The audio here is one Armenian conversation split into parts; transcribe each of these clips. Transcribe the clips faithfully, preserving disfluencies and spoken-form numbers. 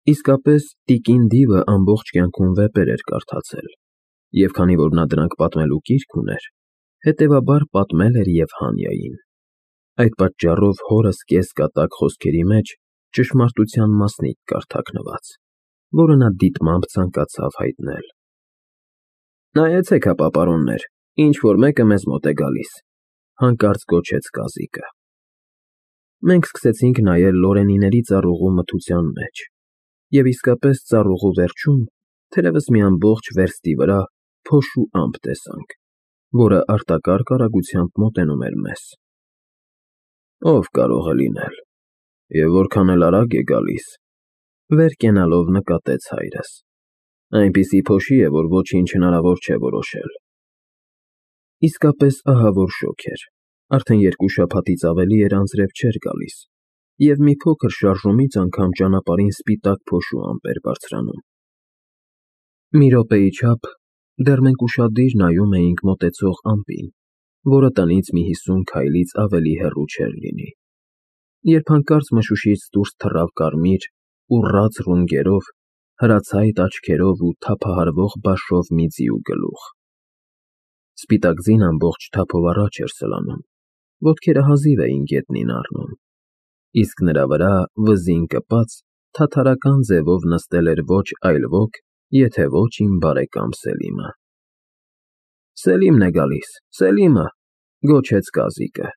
Իսկապես, տիկին Դիվը ամբողջ կյանքում վեպեր էր կարդացել, և քանի որ նա դրանք պատմելու կիրք ուներ, հետևաբար պատմել էր և Հանիային. այդ պատճառով հորս կես֊կատակ խոսքերի մեջ ճշմարտության մասնիկ կար թաքնված, որը նա դիտմամբ ցանկացավ հայտնել։ «Նայեցեք հապա, պարոններ, ինչ֊որ մեկը մեզ մոտ է գալիս», ֊ հանկարծ գոչեց կազիկը։ Մենք սկսեցինք նայել Լորենիների ծառուղու մթության մեջ, և իսկապես ծառուղու վերջում թերևս մի ամբողջ վերստի վրա փոշու ամպ տեսանք, որը արտակարգ արագությամբ մոտենում էր մեզ։ «Ո՞վ կարող է լինել, և որքան էլ արագ է գալիս», ֊ վեր կենալով նկատեց հայրս։ «Այնպիսի փոշի է, որ ոչինչ հնարավոր չէ որոշել»։ Իսկապես ահավոր շոգ էր, արդեն երկու շաբաթից ավելի էր անձրև չէր գալիս, և մի փոքր շարժումից անգամ ճանապարհին սպիտակ փոշու ամպ էր բարձրանում։ Մի րոպեի չափ դեռ մենք ուշադիր նայում էինք մոտեցող ամպին, որը տնից մի հիսուն քայլից ավելի հեռու չէր լինի, երբ հանկարծ մշուշից դուրս թռավ կարմիր, ուռած ռունգերով, հրացայտ աչքերով ու թափահարվող բաշով մի ձիու գլուխ։ Սպիտակ ձին ամբողջ թափով առաջ էր սլանում, ոտքերը հազիվ էին գետնին առնում, իսկ նրա վրա, վզին կպած, թաթարական ձևով նստել էր ոչ այլ ոք, եթե ոչ իմ բարեկամ Սելիմը։ «Սելիմն է գալիս, Սելիմը», ֊ գոչեց կազիկը։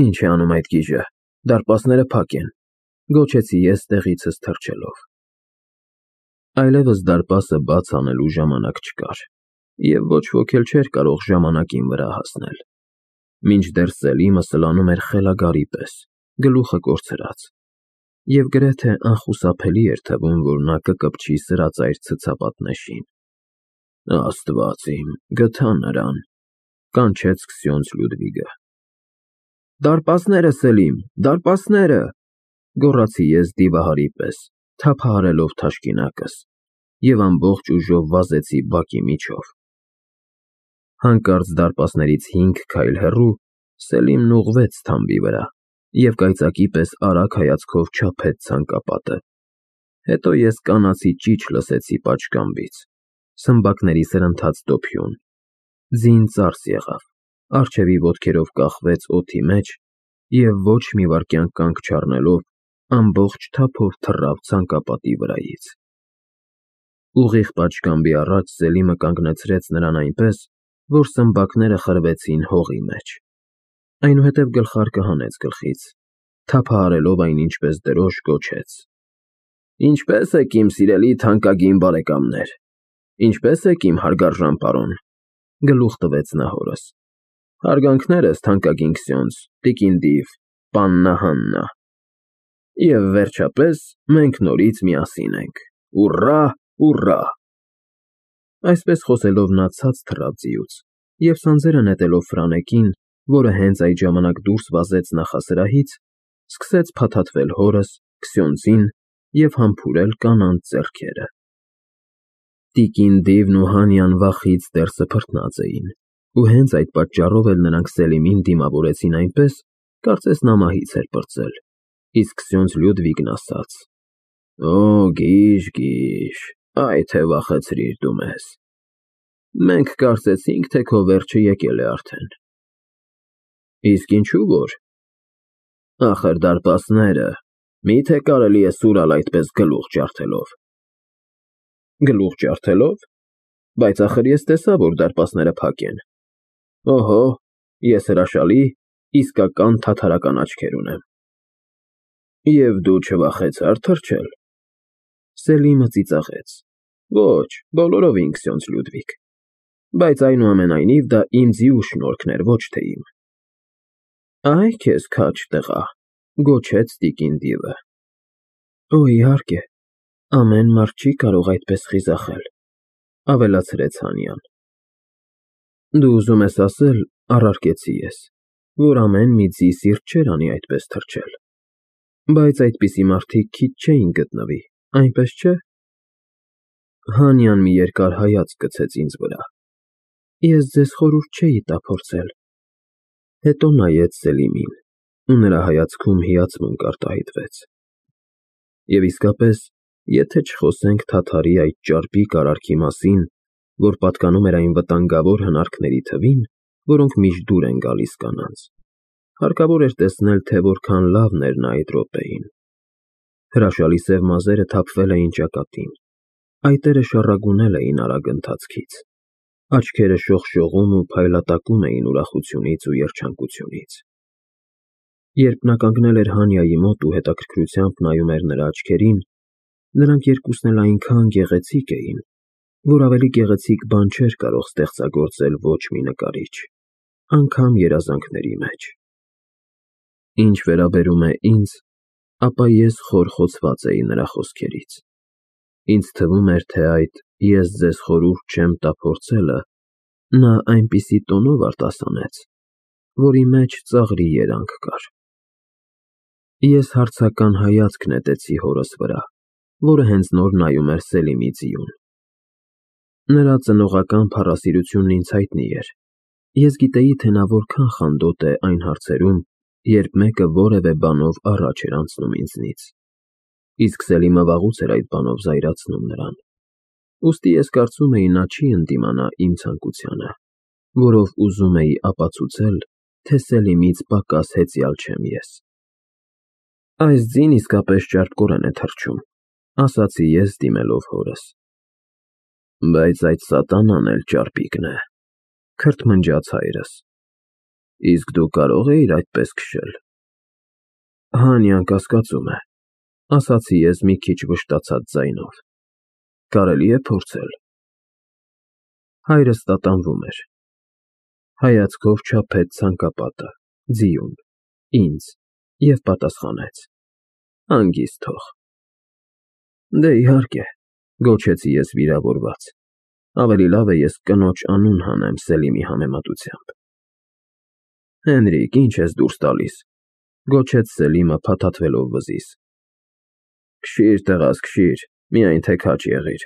«Ի՞նչ է անում այդ գիժը, դարպասները փակ են», ֊ գոչեցի ես տեղիցս թռչելով։ Այլևս դարպասը բաց անելու ժամանակ չկար, և ոչ ոք էլ չէր կարող ժամանակին վրա հասնել, մինչդեռ Սելիմը սլանում էր խելագարի պես, գլուխը կորցրած, և գրեթե անխուսափելի էր թվում, որ նա կկպչի սրածայր ցցապատնեշին։ «Աստված իմ, գթա նրան», ֊ կանչեց Քսյոնց Լյուդվիգը։ «Դարպասները, Սելիմ, դարպասները», ֊ գոռացի ես դիվահարի պես, թափահարելով թաշկինակս, և ամբողջ ուժով վազեցի բակի միջով։ Հանկարծ դարպասներից հինգ քայլ հեռու Սելիմն ուղղվեց թամբի վրա և կայծակի պես արագ հայացքով չափեց ցանկապատը, հետո ես կանացի ճիչ լսեցի պատշգամբից, սմբակների սրընթաց դոփյուն, ձին ծարս եղավ, առջևի ոտքերով կախվեց օդի մեջ և ոչ մի վայրկյան կանգ չառնելով ամբողջ թափով թռավ ցանկապատի վրայից։ Ուղիղ պատշգամբի առաջ Սելիմը կանգնեցրեց նրան այնպես, որ սմբակները խրվեցին հողի մեջ, այնուհետև գլխարկը հանեց գլխից, թափահարելով այն ինչպես դրոշ, գոչեց. «Ինչպե՞ս եք, իմ սիրելի թանկագին բարեկամներ, ինչպե՞ս եք, իմ հարգարժան պարոն», ֊ գլուխ տվեց նա հորս։ «Հարգանքներս, թանկագին Քսյոնց, տիկին Դիվ, պաննա Հաննա։ Եվ վերջապես մենք նորից միասին ենք, ուռա, ուռա»։ Այսպես խոսելով նա ցած թռավ ձիուց և սանձերը նետելով Ֆրանեկին, որը հենց այդ ժամանակ դուրս վազեց նախասրահից, սկսեց փաթաթվել հորս, Քսյոնցին և համբուրել կանանց ձեռքերը։ Տիկին Դիվն ու Հանիան վախից դեռ սփռտնած էին, ու հենց այդ պատճառով էլ նրանք Սելիմին դիմավորեցին այնպես, կարծես նա մահից էր պրծել, իսկ Քսյոնց Լյուդվիգն ասաց. «Օ, գիժ, գիժ, այ թե վախեցրիր դու մեզ։ Մենք կարծեցինք, թե քո վերջը եկել է արդեն»։ «Իսկ ինչու որ։ Ախր դարպասները, մի՞թե կարելի է սուրալ այդպես գլուխ ջարդելով»։ «Գլուխ ջարդելով։ Բայց ախր ես տեսա, որ դարպասները փակ են։ Օհո, ես հրաշալի, իսկական թաթարական աչքեր ունեմ։ Եվ դու չվախեցա՞ր թռչել»։ Սելիմը ծիծաղեց. «Ոչ, բոլորովին, Քսյոնց Լյուդվիգ, բայց այնուամենայնիվ դա իմ ձիու շնորհքն էր, ոչ թե իմ»։ «Այ քեզ քաջ տղա», ֊ գոչեց տիկին Դիվը։ «Օ, իհարկե, ամեն մարդ չի կարող այդպես խիզախել», ֊ ավելացրեց Հանիան։ «Դու ուզում ես ասել, ֊ առարկեցի ես, ֊ որ ամեն մի ձի սիրտ չէր անի այդպես թռչել, բայց այդպիսի մարդիկ քիչ չէին գտնվի, այնպես չէ՞։ Հանիան մի երկար հայացք գցեց ինձ վրա։ «Ես ձեզ խորհուրդ չէի տա փորձել»։ Հետո նայեց Սելիմին, ու նրա հայացքում հիացմունք արտահայտվեց։ Եվ իսկապես, եթե չխոսենք թաթարի այդ ճարպիկ արարքի մասին, որ պատկանում էր այն վտանգավոր հնարքների թվին, որոնք միշտ դուր են գալիս կանանց, հարկավոր էր տեսնել, թե որքան լավն էր նա այդ րոպեին։ Հրաշալի սև մազերը թափվել էին ճակատին, այտերը շառագունել էին արագ ընթացքից, աչքերը շողշողում ու փայլատակում էին ուրախությունից ու երջանկությունից։ Երբ նա կանգնել էր Հանյայի մոտ ու հետաքրքրությամբ նայում էր նրա աչքերին, նրանք երկուսն էլ այնքան գեղեցիկ էին, որ ավելի գեղեցիկ բան չէր կարող ստեղծագործել ոչ մի նկարիչ, անգամ երազանքների մեջ։ Ինչ վերաբերում է ինձ, ապա ես խորխոցված էի նրա խոսքերից։ Ինձ թվում էր, թե այդ «ես ձեզ խորհուրդ չեմ տա» փորձելը նա այնպիսի տոնով արտասանեց, որի մեջ ծաղրի երանգ կար։ Ես հարցական հայացք նետեցի հորս վրա, որը հենց նոր նայում էր Սելիմի ձիուն։ Նրա ծնողական փառասիրությունն ինձ հայտնի էր։ Ես գիտեի, թե նա որքան խանդոտ է այն հարցերում, երբ մեկը որևէ բանով առաջ էր անցնում ինձնից, իսկ Սելիմը վաղուց էր այդ բանով զայրացնում նրան։ Ուստի ես կարծում էի, նա չի ընդդիմանա իմ ցանկությանը, որով ուզում էի ապացուցել, թե Սելիմից պակաս հեծյալ չեմ ես։ Այս ձին իսկապես ճարպկորեն է թռչում, ասացի ես, դիմելով հորս։ Բայց այդ սատանան էլ ճարպիկն է, քրթմնջաց հայրս։ Իսկ դու կարո՞ղ էիր այդպես քշել։ Հանյան կասկածում է, ասացի ես մի քիչ վշտացած ձայնով։ Կարելի է փորձել։ Հայրս տատանվում էր։ Հայացքով չափեց ցանկապատը, ձիուն, ինձ և պատասխանեց. Հանգիստ թող։ Դե իհարկե, գոչեցի ես վիրավորված։ Ավելի լավ է ես կնոջ անուն հանեմ Սելիմի համեմատությամբ։ Հենրիկ, ինչ ես դուրս տալիս, գոչեց Սելիմը փաթաթվելով վզիս։ Քշիր, տղաս, քշիր, միայն թե քաջ եղիր,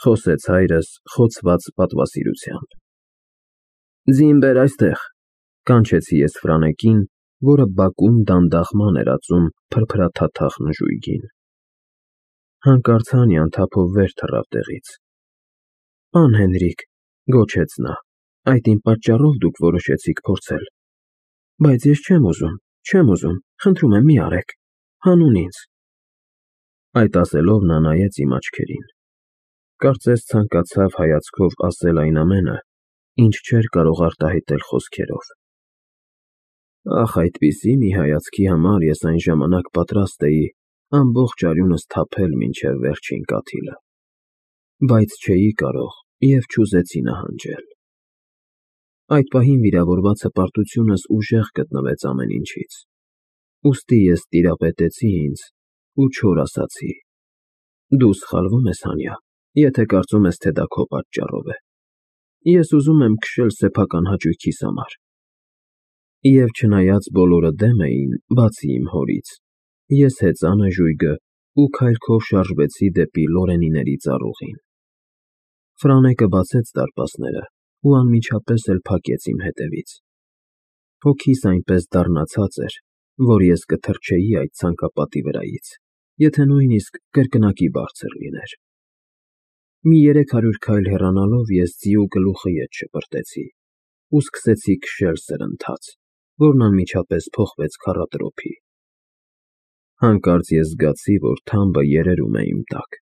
խոսեց հայրս խոցված պատվասիրությամբ։ Ձին բեր այստեղ, կանչեցի ես Ֆրանեկին, որը բակում դանդաղ ման էր ածում փրփրաթաթախ նժույգին։ Հանկարծ Հանյան թափով վեր թռավ տեղից։ Պան Հենրիկ, գոչեց նա, այդ իմ պատճառով դուք որոշեցիք փորձել։ Բայց ես չեմ ուզում, չեմ ուզում, խնդրում եմ մի արեք, հանուն ինձ։ Այդ ասելով նա նայեց իմ աչքերին։ Կարծես ցանկացավ հայացքով ասել այն ամենը, ինչ չէր կարող արտահայտել խոսքերով։ Ախ, այդպիսի մի հայացքի համար ես այն ժամանակ պատրաստ էի ամբողջ արյունս թափել մինչև վերջին կաթիլը։ Բայց չէի կարող և չուզեցի նահանջել։ Այդ պահին վիրավորված հպարտությունս ուժեղ գտնվեց ամեն ինչից։ Ուստի ես տիրապետեցի ինձ ու չոր ասացի. Դու սխալվում ես, Հանյա, եթե կարծում ես, թե դա քո պատճառով է։ Ես ուզում եմ քշել սեփական հաճույքիս համար։ Եվ չնայած բոլորը դեմ էին, բացի իմ հորից, ես հեծա նժույգը ու քայլքով շարժվեցի դեպի Լորենիների ծառուղին։ Ֆրանեկը բացեց դարպասները ու անմիջապես էլ փակեց իմ հետևից։ Հոգիս այնպես դառնացած էր, որ ես կթռչեի այդ ցանկապատի վրայից, եթե նույնիսկ կրկնակի բարձր լիներ։ Մի երեք հարյուր քայլ հեռանալով ես ձիու գլուխը ետ շպրտեցի ու սկսեցի քշել սրընթաց, որն անմիջապես փոխվեց քառատրոփի։ Հանկարծ ես զգացի, որ թամբը երերում է իմ տակ։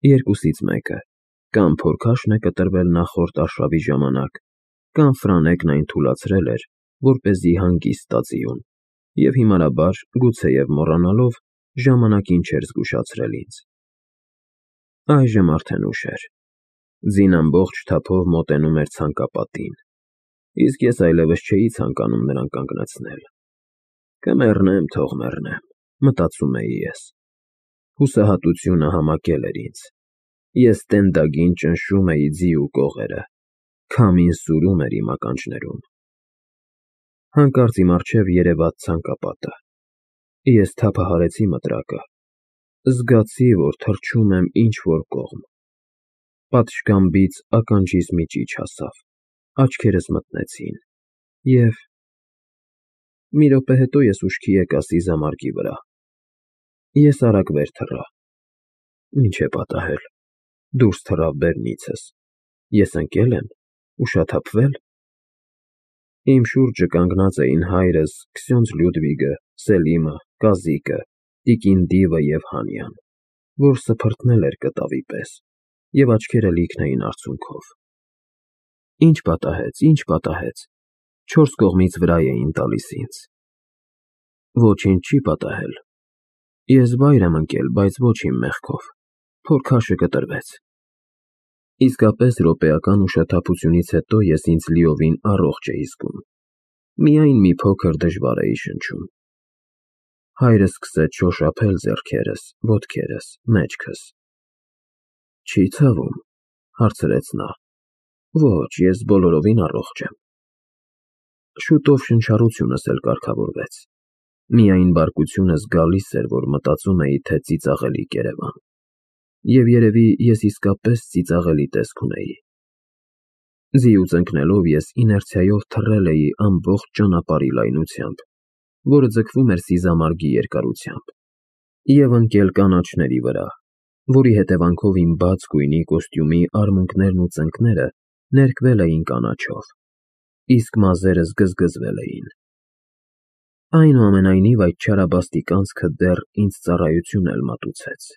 Երկուսից մեկը, կամ փորքաշն է կտրվել նախորդ արշավի ժամանակ, կամ Ֆրանեկն այն թուլացրել էր, որպեսզի հանգիստ տա ձիուն, և հիմարաբար, գուցեև մոռանալով, ժամանակին չէր զգուշացրել ինձ։ Այժմ արդեն ուշ էր։ Ձին ամբողջ թափով մոտենում էր ցանկապատին, իսկ ես այլևս չէի ցանկանում նրան կանգնեցնել։ Կմեռնեմ, թող մեռնեմ, մտածում էի ես։ Հուսահատությունը համակել էր ինձ։ Ես տենդագին ճնշում էի ձիու կողերը, քամին սուրում էր իմ ականջներում։ Հանկարծ իմ առջև երևաց ցանկապատը։ Ես թափահարեցի մտրակը։ Զգացի, որ թռչում եմ ինչ-որ կողմ։ Պատշգամբից ականջիս մի ճիչ հասավ, աչքերս մթնեցին, և… Մի րոպե հետո ես ուշքի եկա սիզամարգի վրա։ Ես արագ վեր թռա։ Ինչ է պատահել։ Դուրս թռավ բեռնիցս։ Ես ընկել եմ, ուշաթափվել։ Իմ շուրջը կանգնած էին հայրս, Քսյոնձ Լյուդվիգը, Սելիմը, Կազիկը, տիկին Դիվը և Հանյան, որ սփռթնել էր կտավի պես, և աչքերը լիքն էին արցունքով։ Ինչ պատահեց, ինչ պատահեց, չորս կողմից վրա էին տալիս ինձ։ Ոչինչ չի պատահել։ Ես վայր եմ ընկել, բայց ոչ իմ մեղքով, փորքաշը կտրվեց։ Իսկապես րոպեական ուշաթափությունից հետո ես ինձ լիովին առողջ էի զգում։ Միայն մի փոքր դժվար էի շնչում։ Հայրս սկսեց շոշափել ձեռքերս, ոտքերս, մեջքս։ Չի ցավում, հարցրեց նա։ Ոչ, ես բոլորովին առողջ եմ։ Շուտով շնչառությունս էլ կարգավորվեց։ Միայն բարկությունս գալիս էր, որ մտածում էի, թե ծիծաղելի Երևան։ Եվ երևի ես իսկապես ծիծաղելի տեսք ունեի։ Ձիուց ընկնելով ես իներցիայով թռել էի ամբողջ ճանապարհի լայնությամբ, որը ձգվում էր սիզամարգի երկարությամբ, և ընկել կանաչների վրա, որի հետևանքով իմ բաց գույնի կոստյումի արմունկներն ու ծնկները ներկվել էին կանաչով, իսկ մազերս գզգզվել էին։ Այնուամենայնիվ այդ չարաբաստիկ անցքը դեռ ինձ ծառայություն էլ մատուցեց։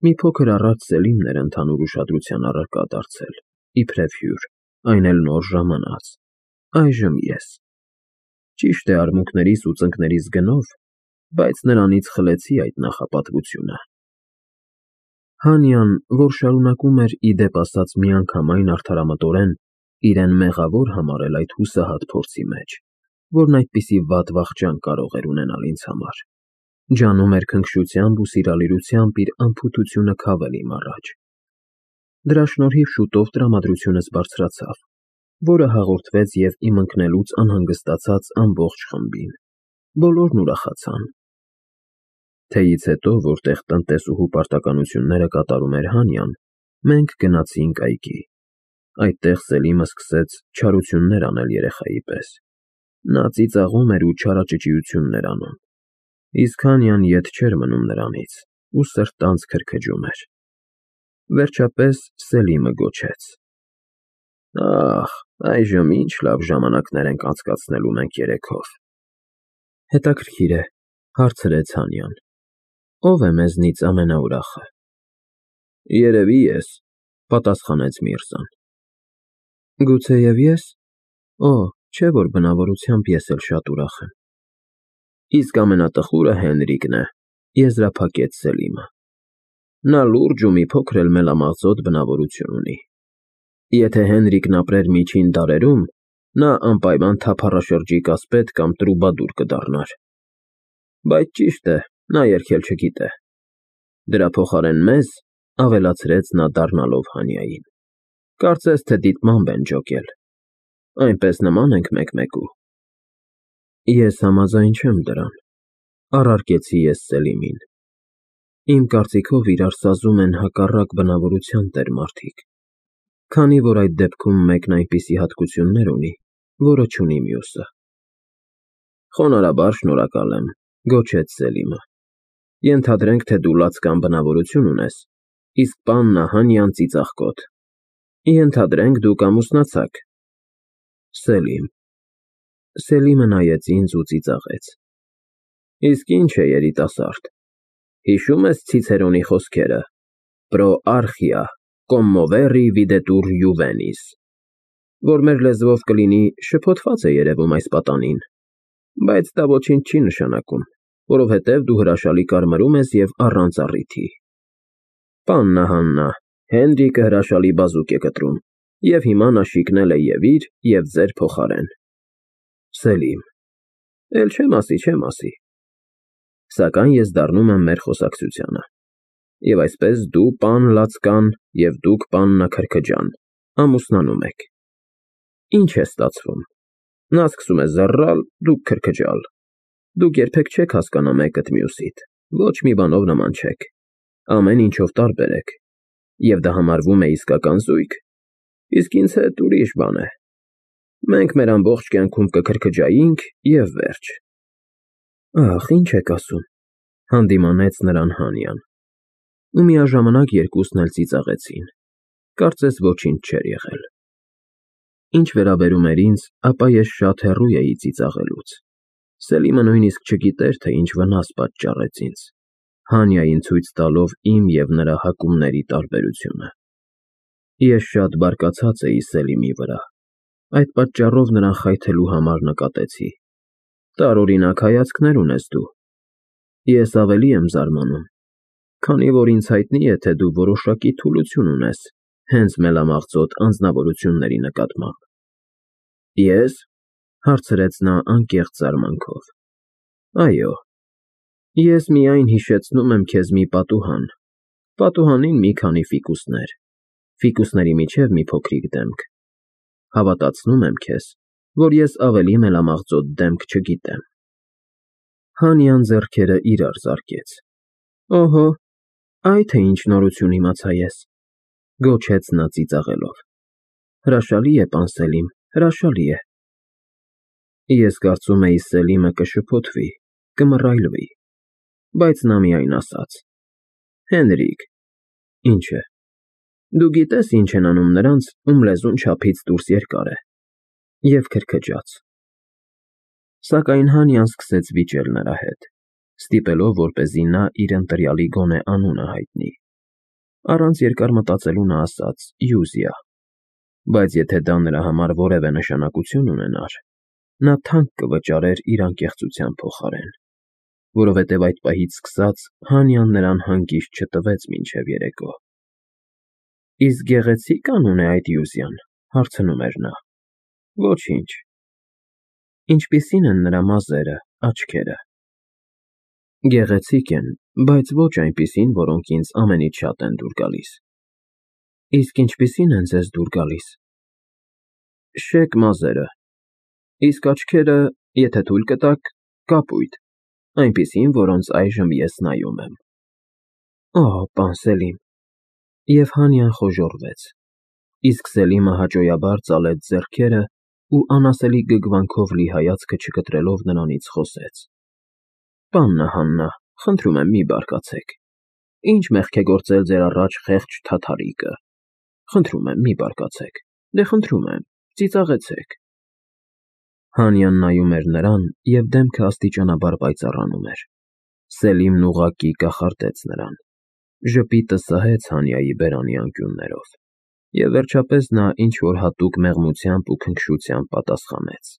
Մի փոքր առաջ Սելիմն էր ընդհանուր ուշադրության առարկա դարձել, իբրև հյուր, այն էլ նոր ժամանած, այժմ ես։ Ճիշտ է, արմունկներիս ու ծնկներիս գնով, բայց նրանից խլեցի այդ նախապատվությունը։ Հանյան, որ շարունակում էր ի դեպ ասած միանգամայն արդարամտորեն իրեն մեղավոր համարել այդ հուսահատ փորձի մեջ, որն այդպիսի վատ վախճան կարող էր ունենալ ինձ համար, ջանում էր քնքշությամբ ու սիրալիրությամբ իր անփութությունը քավել իմ առաջ։ Դրա շնորհիվ շուտով տրամադրությունս բարձրացավ, որը հաղորդվեց և իմ ընկնելուց անհանգստացած ամբողջ խմբին։ Բոլորն ուրախացան։ Թեյից հետո, որտեղ տնտեսուհու պարտականությունները կատարում էր Հանյան, մենք գնացինք այգի։ Այդտեղ Սելիմը սկսեց չարություններ անել երեխայի պես։ Նա ծիծաղում էր ու չարաճճիություններ անում, իսկ Հանյան ետ չէր մնում նրանից ու սրտանց քրքջում էր։ Վերջապես Սելիմը գոչեց. Ախ, այժմ ինչ լավ ժամանակներ ենք անցկացնելու մենք երեքով։ Հետաքրքիր է, հարցրեց Հանյան, ո՞վ է մեզնից ամենաուրախը։ Երևի ես, պատասխանեց Միրզան։ Գուցեև ես։ Օ, չէ՞ որ բնավորությամբ ես էլ շատ ուրախ եմ։ Իսկ ամենատխուրը Հենրիկն է, եզրափակեց Սելիմը։ Նա լուրջ ու մի փոքր էլ մելամաղձոտ բնավորություն ունի։ Եթե Հենրիկն ապրեր միջին դարերում, նա անպայման թափառաշրջիկ ասպետ կամ տրուբադուր կդառնար։ Բայց ճիշտ է, նա երգել չգիտե։ Դրա փոխարեն մեզ, ավելացրեց նա դառնալով Հանյային, կարծես թե դիտմամբ են ջոկել։ Այնպես նման ենք մեկմեկու։ Ես համաձայն չեմ դրան, առարկեցի ես Սելիմին։ Իմ կարծիքով իրար սազում են հակառակ բնավորության տեր մարդիկ, քանի որ այդ դեպքում մեկն այնպիսի հատկություններ ունի, որը չունի մյուսը։ Խոնարհաբար շնորհակալ եմ, գոչեց Սելիմը։ Ենթադրենք, թե դու լացկան բնավորություն ունես, իսկ պաննա Հանյան ծիծաղկոտ։ Ենթադրենք դուք ամուսնացաք։ Սելիմ։ Սելիմը նայեց ինձ ու ծիծաղեց։ Իսկ ինչ է երիտասարդ։ Հիշում ես Ցիցերոնի խոսքերը. Pro archia, commoveri videtur juvenis, որ մեր լեզվով կլինի շփոթված է երևում այս պատանին, բայց դա ոչինչ չի նշանակում, որովհետև դու հրաշալի կարմրում ես և առանց առիթի։ Պաննա Հաննա, Հենրիկը հրաշալի բազուկ է կտրում, և հիմա նա շիկնել է և իր, և ձեր փոխարեն։ Սելիմ. Էլ չեմ ասի, չեմ ասի։ Սակայն ես դառնում եմ մեր խոսակցությանը։ Եվ այսպես դու պան լացկան և դուք պաննա քրքջան ամուսնանում եք։ Ինչ է ստացվում։ Նա սկսում է զռռալ, դուք քրքջալ։ Դուք երբեք չեք հասկանա մեկդ մյուսիդ, ոչ մի բանով նման չեք, ամեն ինչով տարբեր եք, և դա համարվում է իսկական զույգ, իսկ ինձ հետ ուրիշ բան է։ Մենք մեր ամբողջ կյանքում կքրքջայինք և վերջ։ Ախ, ինչ եք ասում։ Հանդիմանեց նրան Հանյան, ու միաժամանակ երկուսն էլ ծիծաղեցին, կարծես ոչինչ չէր եղել։ Ինչ վերաբերում էր ինձ, ապա ես շատ հեռու էի ծիծաղելուց։ Սելիմը նույնիսկ չգիտեր, թե ինչ վնաս պատճառեց ինձ, Հանյային ցույց տալով իմ և նրա հակումների տարբերությունը։ Ես շատ բարկացած էի Սելիմի վրա, այդ պատճառով նրան խայթելու համար նկատեցի. տարօրինակ հայացքներ ունես դու։ Ես ավելի եմ զարմանում, քանի որ ինձ հայտնի է, թե դու որոշակի թուլություն ունես հենց մելամաղձոտ անձնավորությունների նկատմամբ։ Ե՞ս, հարցրեց նա անկեղծ զարմանքով։ Այո, ես միայն հիշեցնում եմ քեզ մի պատուհան, պատուհանին մի քանի ֆիկուսներ, ֆիկուսների միջև մի փոքրիկ դեմք։ Հավատացնում եմ քեզ, որ ես ավելի մելամաղձոտ դեմք չգիտեմ։ Հանյան ձեռքերը իրար զարկեց։ Օհո, այ թե ինչ նորություն իմացա ես, գոչեց նա ծիծաղելով։ Հրաշալի է, պան Սելիմ, հրաշալի է։ Ես կարծում էի Սելիմը կշփոթվի, կմռայլվի, բայց նա միայն ասաց. Հենրիկ, ինչ է, դու գիտես ինչ են անում նրանց, ում լեզուն չափից դուրս երկար է, և քրքջաց։ Սակայն Հանյան սկսեց վիճել նրա հետ, ստիպելով, որպեսզի նա իր ընտրյալի գոնե անունը հայտնի։ Առանց երկար մտածելու նա ասաց. Յուզիա, բայց եթե դա նրա համար որևէ նշանակություն ունենար, նա թանկ կվճարեր իր անկեղծության փոխարեն, որովհետև այդ պահից սկսած Հանյան նրան հանգիստ չտվեց մինչև երեկո։ Իսկ գեղեցի՞կ անուն է այդ Յուզիան, հարցնում էր նա։ Ոչինչ։ Ինչպիսի՞ն են նրա մազերը, աչքերը։ Գեղեցիկ են, բայց ոչ այնպիսին, որոնք ինձ ամենից շատ են դուր գալիս։ Իսկ ինչպիսի՞ն են ձեզ դուր գալիս։ Շեկ մազերը, իսկ աչքերը, եթե թույլ կտաք, կապույտ, այնպիսին, որոնց այժմ ես նայում եմ։ Օ, պան Սելիմ։ Եվ Հանյան խոժոռվեց, իսկ Սելիմը հաճոյաբար ծալեց ձեռքերը ու անասելի գգվանքով լի հայացքը չկտրելով նրանից խոսեց. Պաննա Հաննա, խնդրում եմ մի բարկացեք, ինչ մեղք է գործել ձեր առաջ խեղճ թաթարիկը, խնդրում եմ մի բարկացեք, դե խնդրում եմ, ծիծաղեցեք։ Հանյան նայում էր նրան և դեմքը աստիճանաբար պայծառանում էր։ Սելիմն ուղղակի կախարդեց նրան, ժպիտը սահեց Հանյայի բերանի անկյուններով, և վերջապես նա ինչ-որ հատուկ մեղմությամբ ու քնքշությամբ պատասխանեց.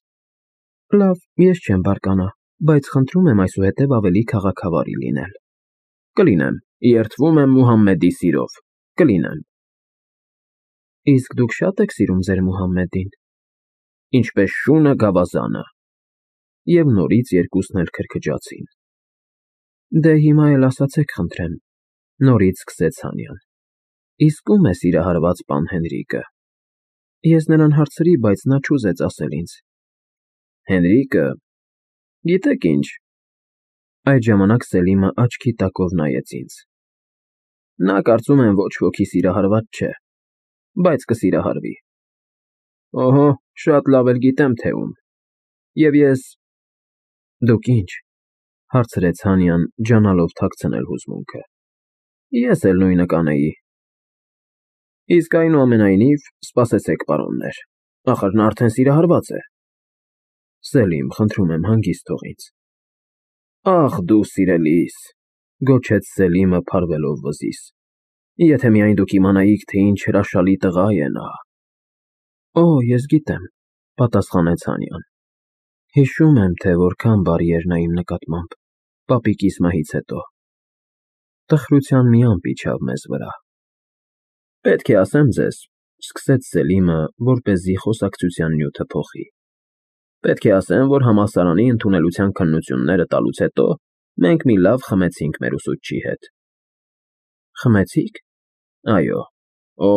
Լավ, ես չեմ բարկանա, բայց խնդրում եմ այսուհետև ավելի քաղաքավարի լինել։ Կլինեմ, երդվում եմ Մուհամմեդի սիրով, կլինեմ։ Իսկ դուք շա՞տ եք սիրում ձեր Մուհամմեդին։ Ինչպես շունը գավազանը։ Եվ նորից երկուսն էլ քրքջացին։ Դե հիմա էլ ասացեք, խնդրեմ, նորից սկսեց Հանյան։ Իսկ ո՞ւմ է սիրահարված պան Հենրիկը։ Ես նրան հարցրի, բայց նա չուզեց ասել ինձ։ Հենրիկը, գիտեք ինչ։ Այդ ժամանակ Սելիմը աչքի տակով նայեց ինձ։ Նա կարծում եմ ոչ ոքի սիրահարված չէ, բայց կսիրահարվի։ Օհո, շատ լավ էլ գիտեմ, թե ում։ Եվ ես… Դուք ինչ, հարցրեց Հանյան, ջանալով թաքցնել հուզմունքը։ Ես էլ նույնը կանեի։ Իսկ այնուամենայնիվ, սպասեցեք, պարոններ, ախր նա արդեն սիրահարված է։ Սելիմ, խնդրում եմ, հանգիստ թող ինձ։ Ախ դու սիրելիս, գոչեց Սելիմը փարվելով վզիս, եթե միայն դուք իմանայիք, թե ինչ հրաշալի տղա է նա։ Օ, ես գիտեմ, պատասխանեց Հանյան։ Հիշում եմ, թե որքան բարի էր նա իմ նկատմամբ, պապիկիս մահից հետո։ Տխրության մի ամպ իջավ մեզ վրա։ Պետք է ասեմ ձեզ, սկսեց Սելիմը, որպեսզի խոսակցության նյութը փոխի։ Պետք է ասեմ, որ համալսարանի ընդունելության քննությունները տալուց հետո մենք մի լավ խմեցինք մեր ուսուցչի հետ։ Խմեցիք։ Այո։ Օ,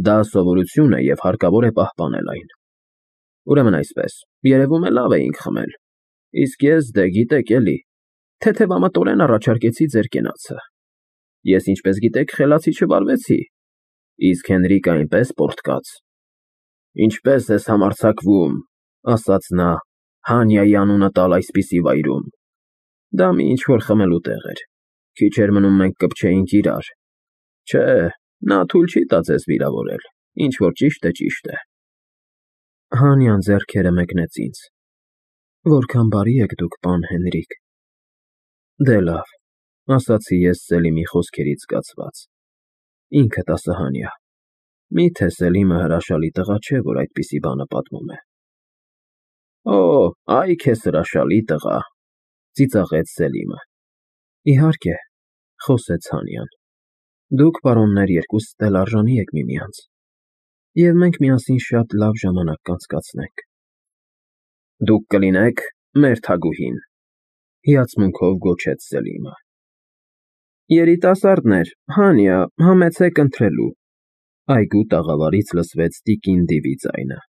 դա սովորություն է և հարկավոր է պահպանել այն։ Ուրեմն այսպես, երևում է լավ էինք խմել, իսկ ես, դե գիտեք էլի, թեթևամտորեն առաջարկեցի ձեր կենացը։ Ես, ինչպես գիտեք, խելացի չվարվեցի, իսկ Հենրիկը այնպես պոռթկաց։ Ինչպես ես համարձակվում, ասաց նա, Հանյայի անունը տալ այսպիսի վայրում։ Դա մի ինչ-որ խմելու տեղ էր։ Քիչ էր մնում մենք կպչեինք իրար։ Չէ, նա թույլ չի տա ձեզ վիրավորել, ինչ որ ճիշտ է, ճիշտ է։ Հանյան ձեռքերը մեկնեց ինձ։ Որքան բարի եք դուք, պան Հենրիկ։ Դե լավ, ասացի ես Սելիմի խոսքերից զգացված։ Ինքդ ասա, Հանյա, մի՞թե Սելիմը հրաշալի տղա չէ, որ այդպիսի բանը պատմում է։ Օ, այ քեզ հրաշալի տղա, ծիծաղեց Սելիմը։ Իհարկե, խոսեց Հանյան։ Դուք, պարոններ, երկուսդ էլ արժանի եք միմյանց, և մենք միասին շատ լավ ժամանակ կանցկացնենք։ Դուք կլինեք մեր թագուհին, հիացմունքով գոչեց Սելիմը։ Երիտասարդներ, Հանյա, համեցեք ընթրելու, այգու տաղավարից լսվեց տիկին Դիվի ձայնը։